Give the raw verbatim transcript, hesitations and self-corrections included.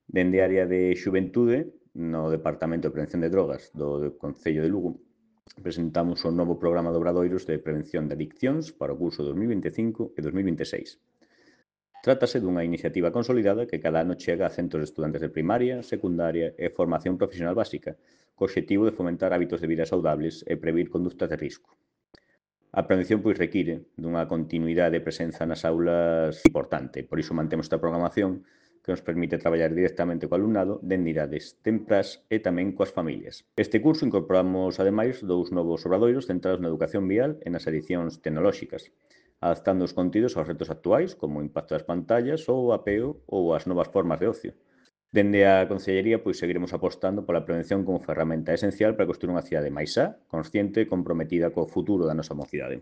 Dende a área de xuventude, no Departamento de Prevención de Drogas do Concello de Lugo, presentamos o novo programa de obradoiros de prevención de adiccións para o curso dos mil vinte e cinco e dos mil vinte e seis. Trátase dunha iniciativa consolidada que cada ano chega a centos de estudantes de primaria, secundaria e formación profesional básica, co obxectivo de fomentar hábitos de vida saudables e previr conductas de risco. A prevención pois require dunha continuidade de presenza nas aulas importante, por iso mantemos esta programación que nos permite traballar directamente co alumnado dende idades temprás e tamén coas familias. Este curso incorporamos, ademais, dous novos obradoiros centrados na educación vial e nas adicións tecnolóxicas, adaptando os contidos aos retos actuais, como o impacto das pantallas ou o apeo ou as novas formas de ocio. Dende a Concellería, pois seguiremos apostando pola prevención como ferramenta esencial para construir unha cidade máis sá, consciente e comprometida co futuro da nosa mocidade.